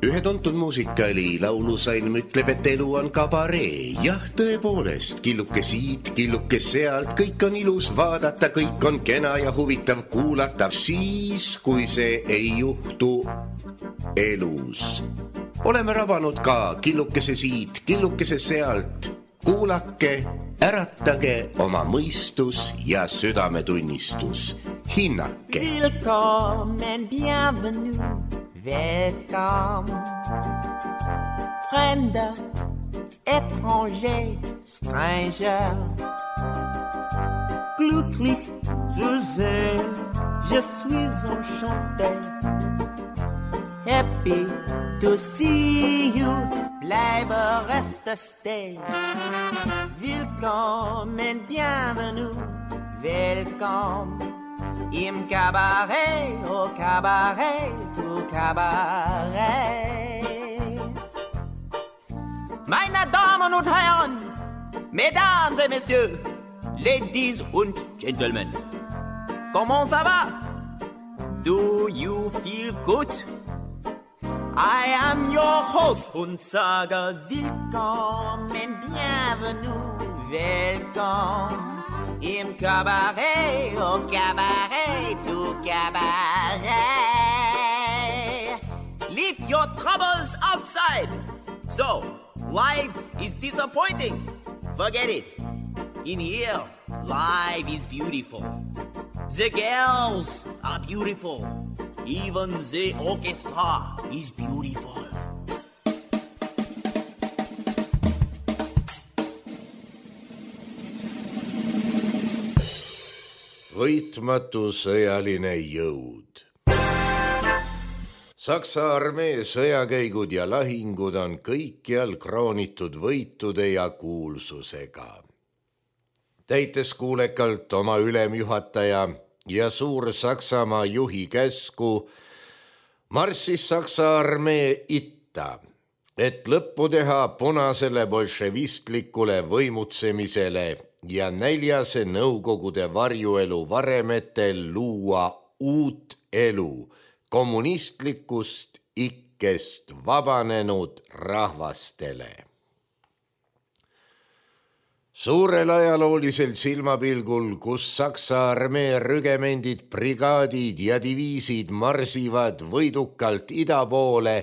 Ühe tuntud muusikali laulusalm ütleb, et elu on kabaree. Jah, tõepoolest, killuke siit, killuke sealt, kõik on ilus vaadata, kõik on kena ja huvitav kuulata, siis kui see ei juhtu elus. Oleme rabanud ka killukese siit, killukese sealt. Kuulake, äratage oma mõistus ja südametunnistus. Hinnake. Willkommen, bienvenue, welcome. Fremder, étranger, stranger. Glücklich zu sehen, je suis enchanté. Happy to see you, bleibe reste stay. Willkommen, bienvenue, welcome. Im Cabaret, au Cabaret, au Cabaret. Meine Damen und Herren, Mesdames et Messieurs, Ladies und Gentlemen, comment ça va? Do you feel good? I am your host und sage willkommen, bienvenue, welcome. Im Cabaret, au Cabaret, au Cabaret. Leave your troubles outside. So, life is disappointing. Forget it. In here, life is beautiful. The girls are beautiful. Even the orchestra is beautiful. Võitmatu sõjaline jõud. Saksa armee sõjakäigud ja lahingud on kõikjal kroonitud võitude ja kuulsusega. Täites kuulekalt oma ülemjuhataja ja Suur-Saksamaa juhi käsku, marssis Saksa armee itta, et lõppu teha punasele bolševistlikule võimutsemisele ja näljase nõukogude varjuelu varemetel luua uut elu kommunistlikust ikkest vabanenud rahvastele. Suurel ajaloolisel silmapilgul, kus Saksa armee rügemendid, brigaadid ja diviisid marsivad võidukalt ida poole,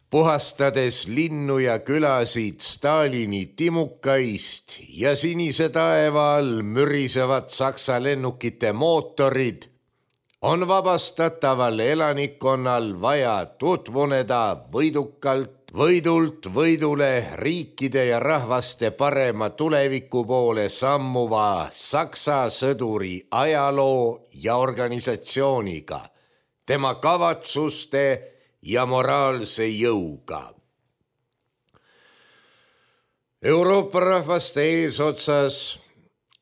puhastades linnu ja külasid Stalini timukaist ja sinise taeva all mürisevad Saksa lennukite mootorid, on vabastataval elanikkonnal vaja tutvuneda võidult võidule riikide ja rahvaste parema tuleviku poole sammuva Saksa sõduri ajaloo ja organisatsiooniga, tema kavatsuste ja moraalse jõuga. Euroopa rahvaste eesotsas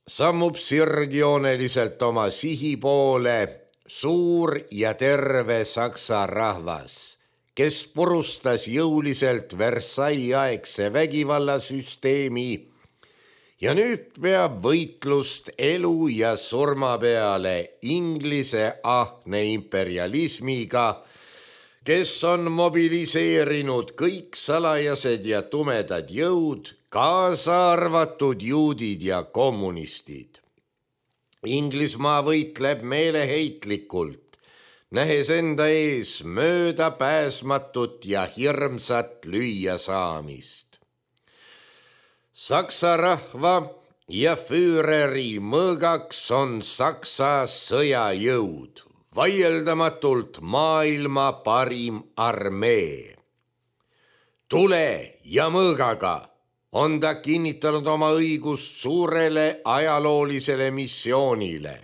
sammub sirgjooneliselt oma sihi poole suur ja terve Saksa rahvas, kes purustas jõuliselt Versailles-aegse vägivallasüsteemi ja nüüd peab võitlust elu ja surma peale Inglise ahne imperialismiga, kes on mobiliseerinud kõik salajased ja tumedad jõud, kaasa arvatud juudid ja kommunistid. Inglismaa võitleb meeleheitlikult, nähes enda ees möödapääsmatut ja hirmsat lüüasaamist. Saksa rahva ja füüreri mõõgaks on Saksa sõjajõud, vaieldamatult maailma parim armee. Tule ja mõõgaga on ta kinnitanud oma õigust suurele ajaloolisele missioonile.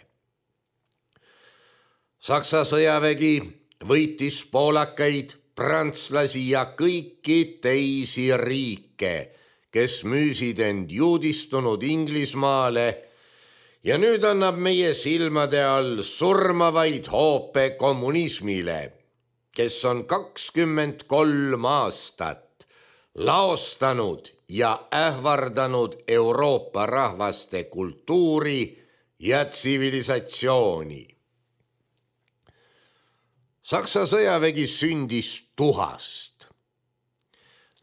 Saksa sõjavägi võitis poolakaid, prantslasi ja kõiki teisi riike, kes müüsid end juudistunud Inglismaale ja nüüd annab meie silmade all surmavaid hoope kommunismile, kes on 23 aastat laostanud ja ähvardanud Euroopa rahvaste kultuuri ja tsivilisatsiooni. Saksa sõjavägi sündis tuhast.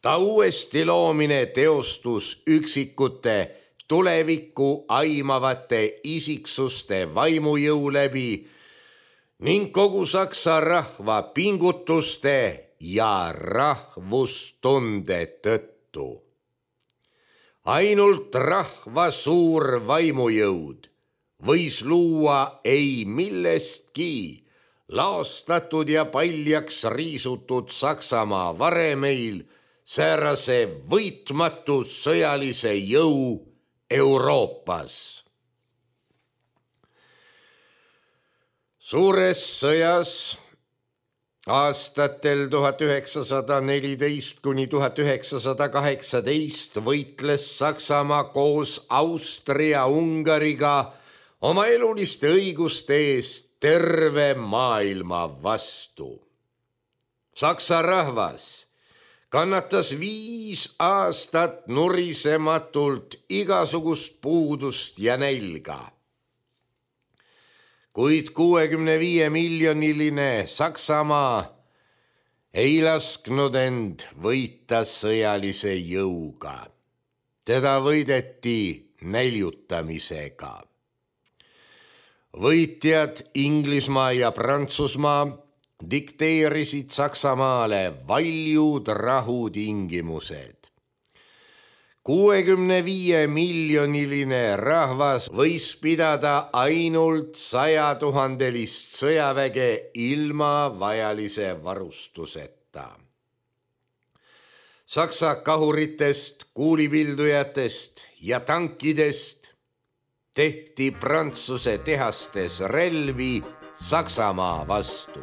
Ta uuesti loomine teostus üksikute tulevikku aimavate isiksuste vaimujõu läbi ning kogu Saksa rahva pingutuste ja rahvustunde tõttu. Ainult rahva suur vaimujõud võis luua ei millestki laastatud ja paljaks riisutud Saksamaa varemeil säärase võitmatu sõjalise jõu Euroopas. Suures sõjas aastatel 1914 kuni 1918 võitles Saksamaa koos Austria-Ungariga oma eluliste õiguste eest terve maailma vastu. Saksa rahvas kannatas 5 aastat nurisematult igasugust puudust ja nälga. Kuid 65-miljoniline Saksamaa ei lasknud end võita sõjalise jõuga. Teda võideti näljutamisega. Võitjad Inglismaa ja Prantsusmaa dikteerisid Saksamaale valjud rahutingimused. 65-miljoniline rahvas võis pidada ainult 100 000-list sõjaväge ilma vajalise varustuseta. Saksa kahuritest, kuulipildujatest ja tankidest tehti Prantsuse tehastes relvi Saksamaa vastu.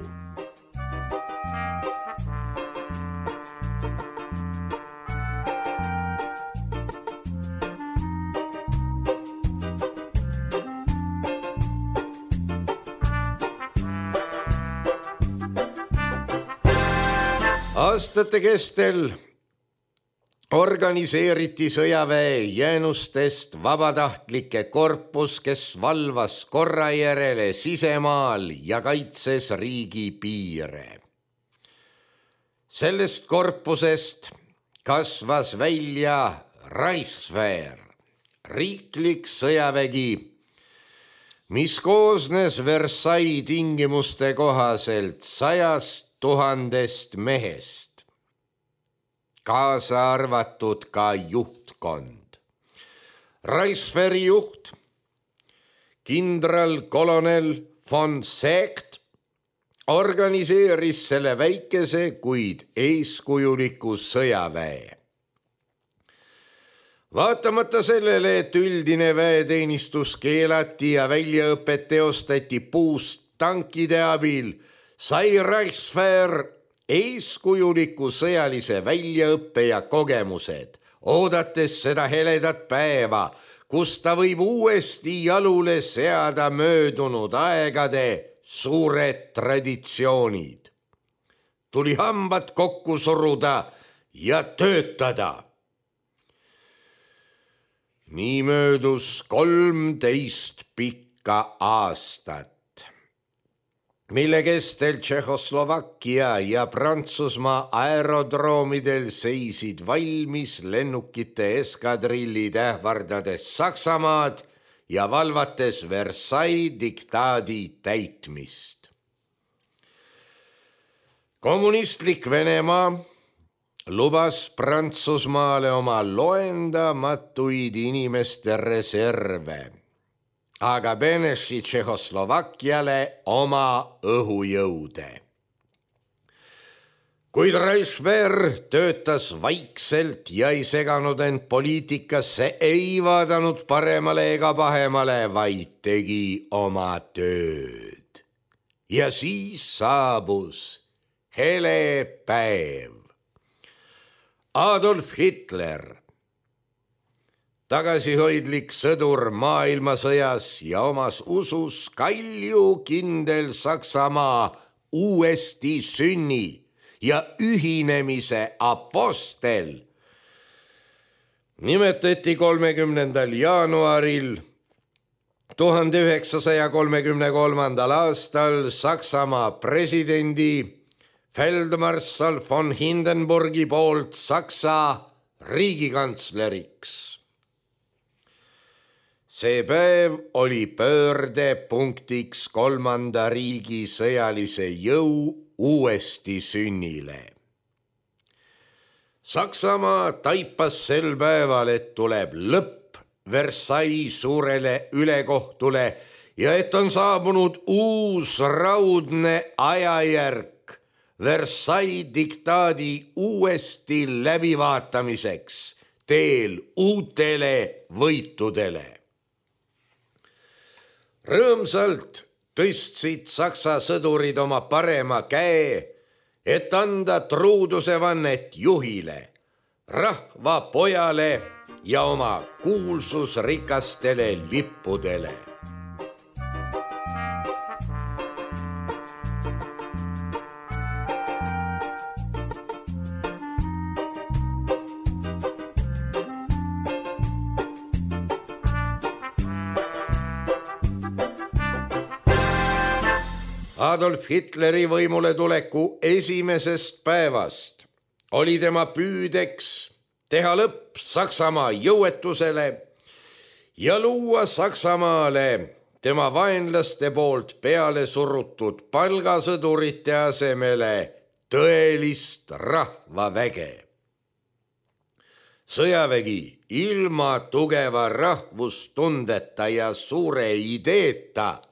Aastate kestel organiseeriti sõjaväe jäänustest vabatahtlike korpus, kes valvas korra järele sisemaal ja kaitses riigi piire. Sellest korpusest kasvas välja Reichswehr, riiklik sõjavägi, mis koosnes Versailles tingimuste kohaselt 100 000 mehest, kaasa arvatud ka juhtkond. Reichswehri juht, kindralkolonel von Seeckt, organiseeris selle väikese, kuid eeskujuliku sõjaväe. Vaatamata sellele, et üldine väeteenistus keelati ja väljaõpet teostati puust tankide abil, sai Reichswehr eeskujuliku sõjalise väljaõppe ja kogemused, oodates seda heledat päeva, kus ta võib uuesti jalule seada möödunud aegade suured traditsioonid. Tuli hambad kokku suruda ja töötada. Nii möödus 13 pikka aastat, mille kestel Tšehhoslovakkia ja Prantsusmaa aerodroomidel seisid valmis lennukite eskadrillid ähvardades Saksamaad ja valvates Versailles diktaadi täitmist. Kommunistlik Venemaa lubas Prantsusmaale oma loendamatuid inimeste reserve, aga Beneši Tšehhoslovakkiale oma õhujõude. Kuid Reichswehr töötas vaikselt ja ei seganud end poliitikasse, ei vaadanud paremale ega pahemale, vaid tegi oma tööd. Ja siis saabus hele päev. Adolf Hitler, tagasihoidlik sõdur maailmasõjas ja omas usus kaljukindel Saksamaa uuesti sünni ja ühinemise apostel, nimetati 30. jaanuaril 1933. aastal Saksamaa presidendi feldmarssal von Hindenburgi poolt Saksa riigikantsleriks. See päev oli pöördepunktiks kolmanda riigi sõjalise jõu uuesti sünnile. Saksamaa taipas sel päeval, et tuleb lõpp Versailles suurele ülekohtule ja et on saabunud uus raudne ajajärk Versailles diktaadi uuesti läbivaatamiseks teel uutele võitudele. Rõõmsalt tõstsid Saksa sõdurid oma parema käe, et anda truudusevannet juhile, rahva pojale ja oma kuulsusrikastele lippudele. Adolf Hitleri võimule tuleku esimesest päevast oli tema püüdeks teha lõpp Saksamaa jõuetusele ja luua Saksamaale tema vaenlaste poolt peale surutud palgasõdurite asemele tõelist rahvaväge. Sõjavägi ilma tugeva rahvustundeta ja suure ideeta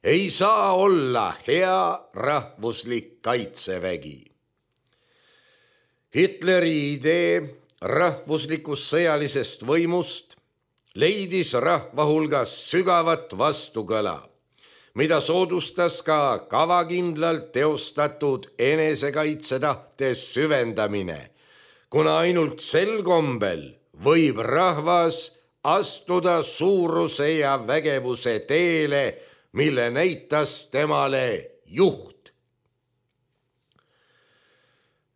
ei saa olla hea rahvuslik kaitsevägi. Hitleri idee rahvuslikust sõjalisest võimust leidis rahva hulgas sügavat vastukõla, mida soodustas ka kavakindlalt teostatud enesekaitsetahte süvendamine, kuna ainult sel kombel võib rahvas astuda suuruse ja vägevuse teele, mille näitas temale juht.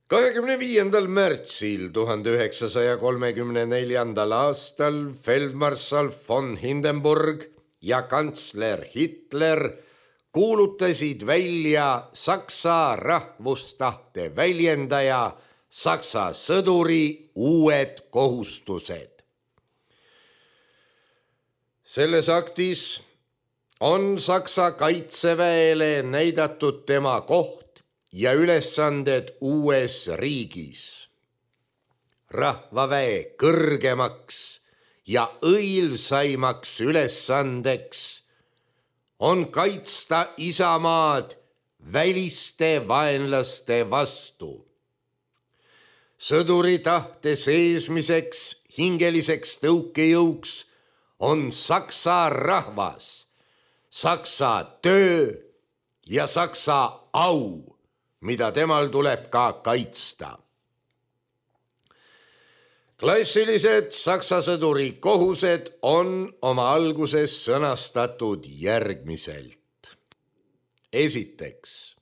25. märtsil 1934. aastal feldmarssal von Hindenburg ja kantsler Hitler kuulutasid välja Saksa rahvustahte väljendaja Saksa sõduri uued kohustused. Selles aktis on Saksa kaitseväele näidatud tema koht ja ülesanded uues riigis. Rahvaväe kõrgemaks ja õilsaimaks ülesandeks on kaitsta isamaad väliste vaenlaste vastu. Sõduri tahte seesmiseks hingeliseks tõukejõuks on Saksa rahvas, Saksa töö ja Saksa au, mida temal tuleb ka kaitsta. Klassilised Saksa sõduri kohused on oma alguses sõnastatud järgmiselt. Esiteks,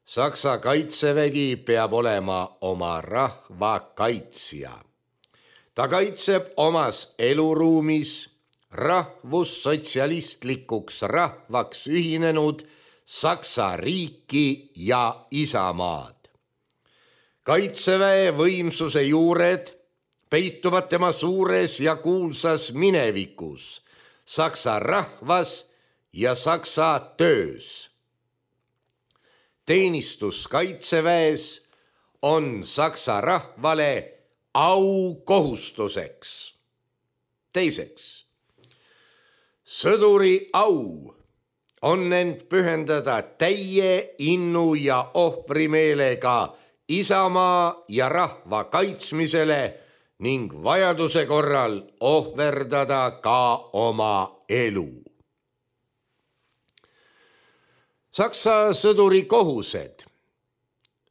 Saksa kaitsevägi peab olema oma rahva kaitsja. Ta kaitseb omas eluruumis rahvussotsialistlikuks rahvaks ühinenud Saksa riiki ja isamaad. Kaitseväe võimsuse juured peituvad tema suures ja kuulsas minevikus, Saksa rahvas ja Saksa töös. Teenistus kaitseväes on Saksa rahvale aukohustuseks. Teiseks, sõduri au on end pühendada täie innu ja ohvrimeelega isamaa ja rahva kaitsmisele ning vajaduse korral ohverdada ka oma elu. Saksa sõduri kohused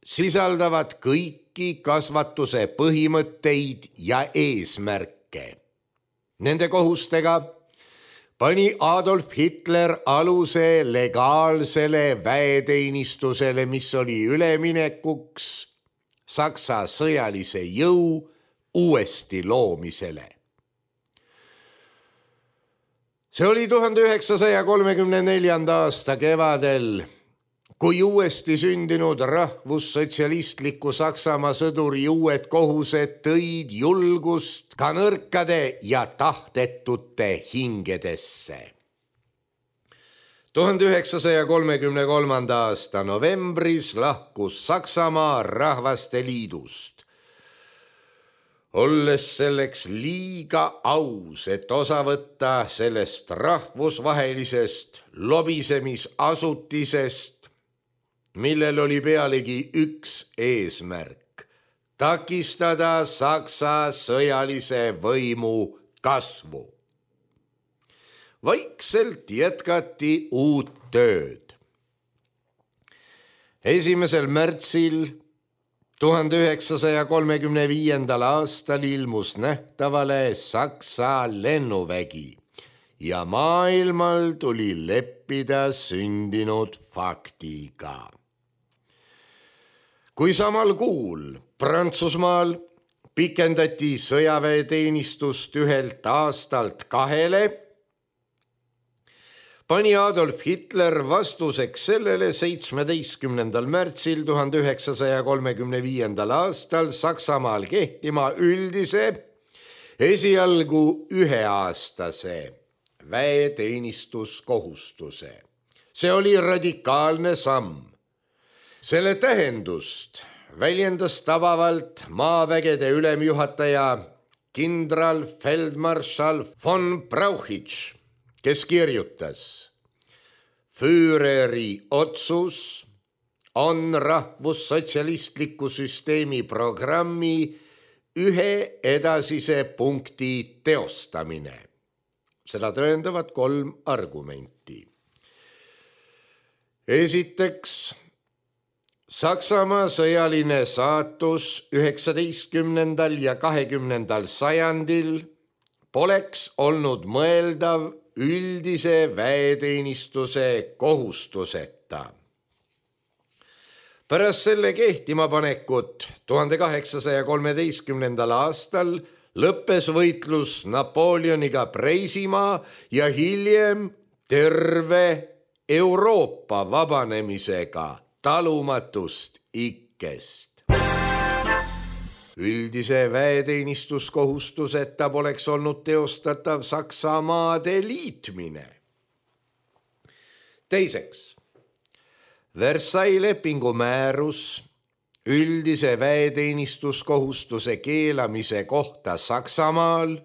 sisaldavad kõiki kasvatuse põhimõtteid ja eesmärke. Nende kohustega pani Adolf Hitler aluse legaalsele väeteenistusele, mis oli üleminekuks Saksa sõjalise jõu uuesti loomisele. See oli 1934. aasta kevadel, kui uuesti sündinud rahvussotsialistliku Saksamaa sõduri uued kohused tõid julgust ka nõrkade ja tahtetute hingedesse. 1933. aasta novembris lahkus Saksamaa Rahvaste Liidust. Olles selleks liiga aus, et osa võtta sellest rahvusvahelisest lobisemisasutisest, millel oli pealegi üks eesmärk: takistada Saksa sõjalise võimu kasvu. Vaikselt jätkati uut tööd. 1. märtsil 1935. aastal ilmus nähtavale Saksa lennuvägi ja maailmal tuli leppida sündinud faktiga. Kui samal kuul Prantsusmaal pikendati sõjaväeteenistust 1 aastalt 2, pani Adolf Hitler vastuseks sellele 17. märtsil 1935. aastal Saksamaal kehtima üldise, esialgu 1-aastase väeteenistuskohustuse. See oli radikaalne samm. Selle tähendust väljendas tabavalt maavägede ülemjuhataja kindralfeldmarschall von Brauchitsch, kes kirjutas: Führeri otsus on rahvussotsialistliku süsteemi programmi ühe edasise punkti teostamine. Seda tõendavad 3 argumenti. Esiteks, Saksamaa sõjaline saatus 19. ja 20. sajandil poleks olnud mõeldav üldise väeteenistuse kohustuseta. Pärast selle kehtima panekut 1813. aastal lõppes võitlus Napoleoniga Preisimaa ja hiljem terve Euroopa vabanemisega talumatust ikkest. Üldise väeteenistuskohustuseta poleks olnud teostatav Saksamaade liitmine. Teiseks, Versailles lepingu määrus üldise väeteenistuskohustuse keelamise kohta Saksamaal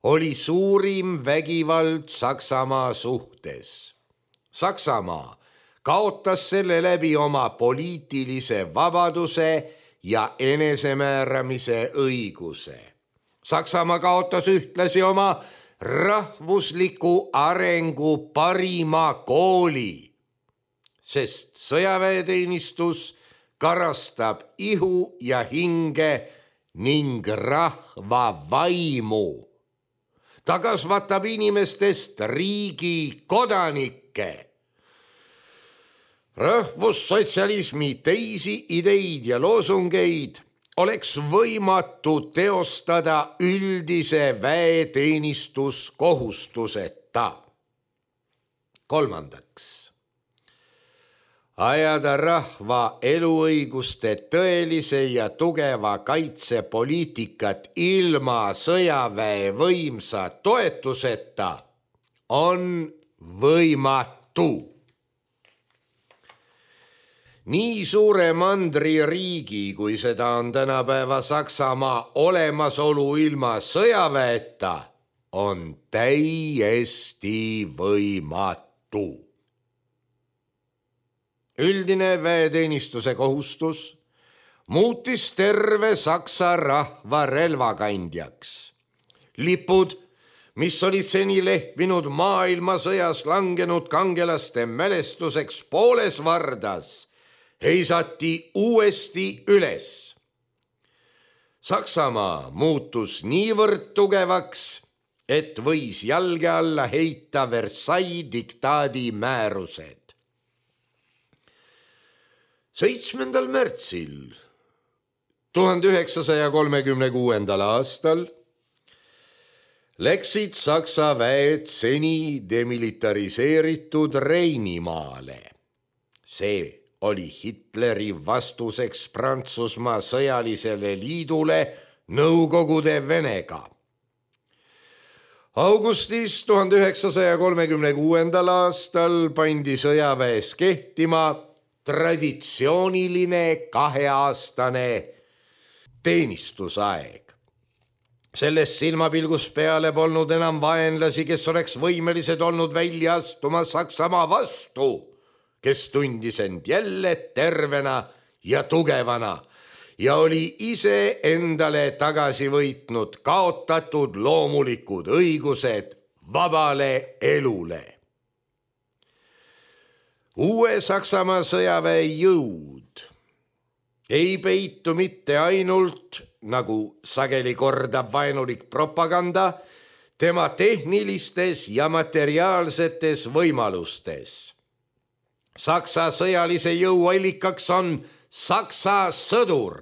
oli suurim vägivald Saksamaa suhtes. Saksamaa kaotas selle läbi oma poliitilise vabaduse ja enesemääramise õiguse. Saksamaa kaotas ühtlasi oma rahvusliku arengu parima kooli, sest sõjaväeteenistus karastab ihu ja hinge ning rahva vaimu. Ta kasvatab inimestest riigi kodanikke. Rahvussotsialismi teisi ideid ja loosungeid oleks võimatu teostada üldise väeteenistuskohustuseta. Kolmandaks, ajada rahva eluõiguste tõelise ja tugeva kaitsepoliitikat ilma sõjaväe võimsa toetuseta on võimatu. Nii suure mandririigi, kui seda on tänapäeva Saksamaa olemasolu ilma sõjaväeta, on täiesti võimatu. Üldine väeteenistuse kohustus muutis terve Saksa rahva relvakandjaks. Lipud, mis olid seni lehvinud maailmasõjas langenud kangelaste mälestuseks pooles vardas, heisati uuesti üles. Saksamaa muutus niivõrd tugevaks, et võis jalge alla heita Versailles diktaadi määrused. 7. märtsil 1936. aastal läksid Saksa väed seni demilitariseeritud Reinimaale. See oli Hitleri vastuseks Prantsusmaa sõjalisele liidule Nõukogude Venega. Augustis 1936. aastal pandi sõjaväes kehtima traditsiooniline 2-aastane teenistusaeg. Sellest silmapilgus peale polnud enam vaenlasi, kes oleks võimelised olnud välja astuma Saksamaa vastu, kes tundis end jälle tervena ja tugevana ja oli ise endale tagasi võitnud kaotatud loomulikud õigused vabale elule. Uue Saksamaa sõjaväe jõud ei peitu mitte ainult, nagu sageli kordab vaenulik propaganda, tema tehnilistes ja materiaalsetes võimalustes. Saksa sõjalise jõu allikaks on Saksa sõdur.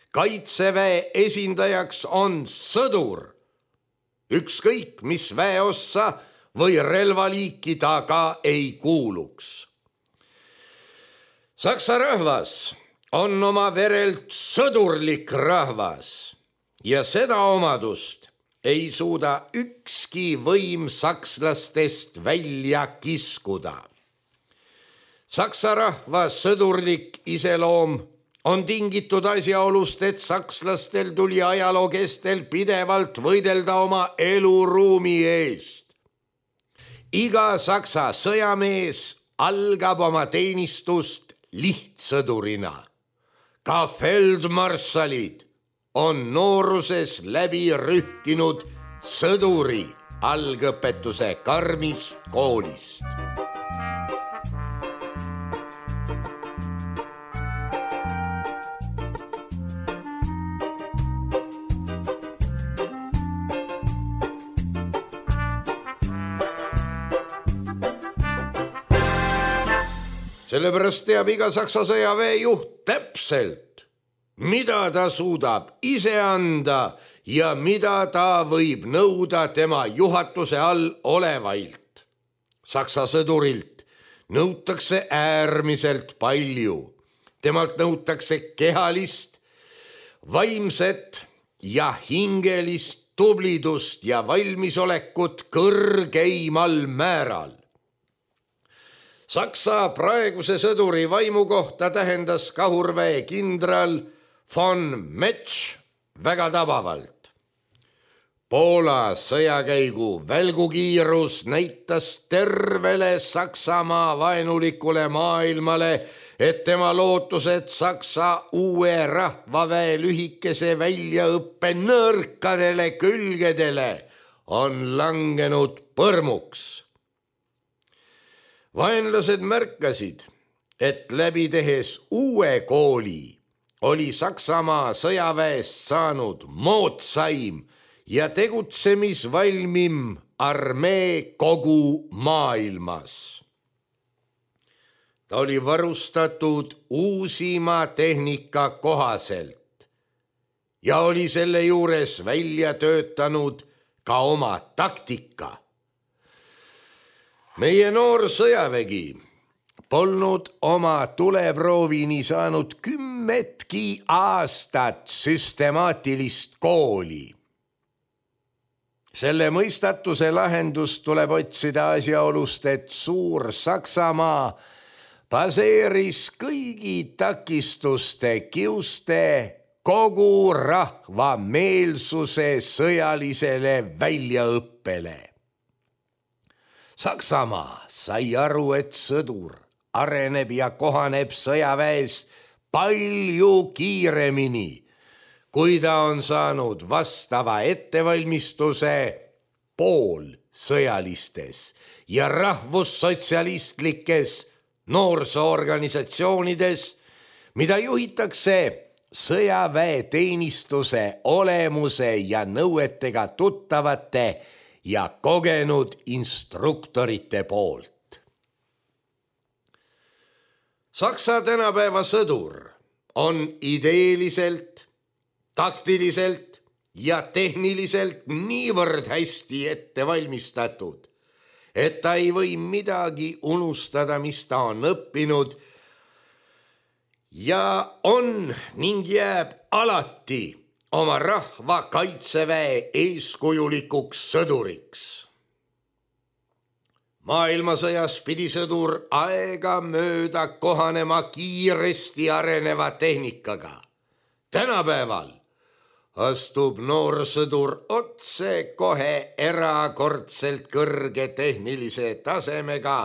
Kaitseväe esindajaks on sõdur. Ükskõik, mis väeossa või relvaliiki ta ka ei kuuluks. Saksa rahvas on oma verelt sõdurlik rahvas ja seda omadust ei suuda ükski võim sakslastest välja kiskuda. Saksa rahva sõdurlik iseloom on tingitud asjaolust, et sakslastel tuli ajaloo kestel pidevalt võidelda oma eluruumi eest. Iga saksa sõjamees algab oma teenistust lihtsõdurina. Ka feldmarssalid on nooruses läbi rühkinud sõduri algõpetuse karmist koolist. Sellepärast teab iga Saksa sõjaväe juht täpselt, mida ta suudab ise anda ja mida ta võib nõuda tema juhatuse all olevailt. Saksa sõdurilt nõutakse äärmiselt palju. Temalt nõutakse kehalist, vaimset ja hingelist tublidust ja valmisolekut kõrgeimal määral. Saksa praeguse sõduri vaimu kohta tähendas kahurväe kindral von Metsch väga tabavalt. Poola sõjakäigu välgukiirus näitas tervele Saksamaa vaenulikule maailmale, et tema lootused Saksa uue rahvaväe lühikese väljaõppe nõrkadele külgedele on langenud põrmuks. Vaenlased märkasid, et läbi tehes uue kooli oli Saksamaa sõjaväest saanud moodsaim ja tegutsemisvalmim armee kogu maailmas. Ta oli varustatud uusima tehnika kohaselt ja oli selle juures välja töötanud ka oma taktika. Meie noor sõjavägi polnud oma tuleproovini saanud 10 aastat süstemaatilist kooli. Selle mõistatuse lahendust tuleb otsida asjaolust, et suur Saksamaa baseeris kõigi takistuste kiuste kogu rahva meelsuse sõjalisele väljaõppele. Saksamaa sai aru, et sõdur areneb ja kohaneb sõjaväes palju kiiremini, kui ta on saanud vastava ettevalmistuse poolsõjalistes ja rahvussotsialistlikes noorsoorganisatsioonides, mida juhitakse sõjaväeteenistuse olemuse ja nõuetega tuttavate ja kogenud instruktorite poolt. Saksa tänapäeva sõdur on ideeliselt, taktiliselt ja tehniliselt niivõrd hästi ette valmistatud, et ta ei või midagi unustada, mis ta on õppinud ja on ning jääb alati oma rahva kaitseväe eeskujulikuks sõduriks. Maailmasõjas pidi sõdur aegamööda kohanema kiiresti areneva tehnikaga. Tänapäeval astub noorsõdur otse kohe erakordselt kõrge tehnilise tasemega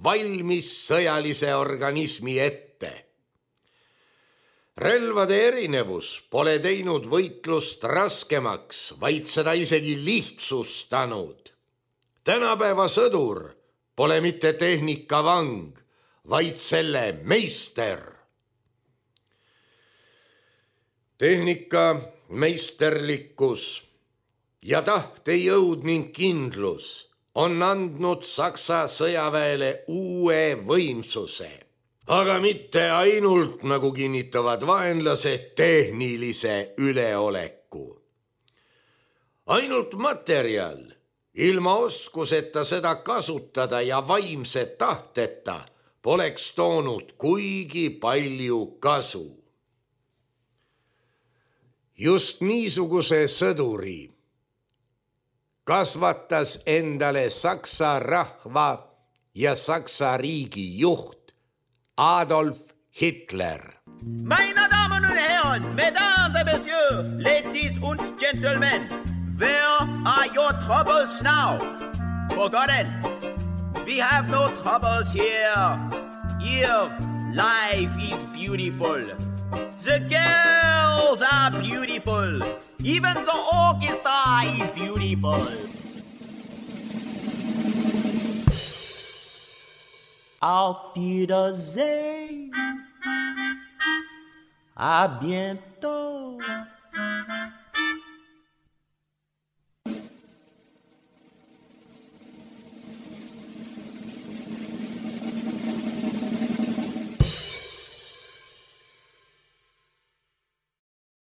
valmis sõjalise organismi ette. Relvade erinevus pole teinud võitlust raskemaks, vaid seda isegi lihtsustanud. Tänapäeva sõdur pole mitte tehnikavang, vaid selle meister. Tehnika meisterlikkus ja tahtejõud ning kindlus on andnud Saksa sõjaväele uue võimsuse, aga mitte ainult, nagu kinnitavad vaenlased, tehnilise üleoleku. Ainult materjal, ilma oskuseta seda kasutada ja vaimse tahteta poleks toonud kuigi palju kasu. Just niisuguse sõduri kasvatas endale Saksa rahva ja Saksa riigi juht Adolf Hitler. Meine Damen und Herren, Mesdames et Messieurs, ladies und gentlemen, where are your troubles now? Forgotten. We have no troubles here. Here, life is beautiful. The girls are beautiful. Even the orchestra is beautiful. Auf Wiedersehen. À bientôt.